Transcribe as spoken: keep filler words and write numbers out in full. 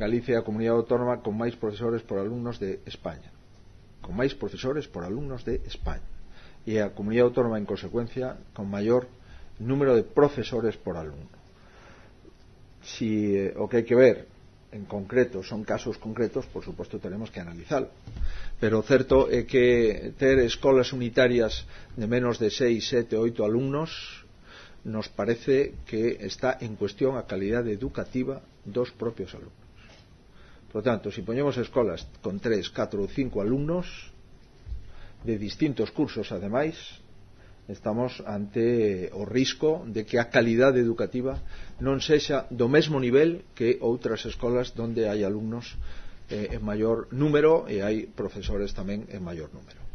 Galicia é a comunidade autónoma con máis profesores por alumnos de España, con máis profesores por alumnos de España, e a comunidade autónoma en consecuencia con maior número de profesores por alumno. Si eh, o que hai que ver en concreto son casos concretos, por suposto tenemos que analizar, pero o certo é que ter escolas unitarias de menos de seis, sete, oito alumnos nos parece que está en cuestión a calidade educativa dos propios alumnos. Por lo tanto, si ponemos escolas con tres, catro ou cinco alumnos de distintos cursos, ademais, estamos ante o risco de que a calidade educativa non sexa do mesmo nivel que outras escolas donde hai alumnos eh, en maior número e hai profesores tamén en maior número.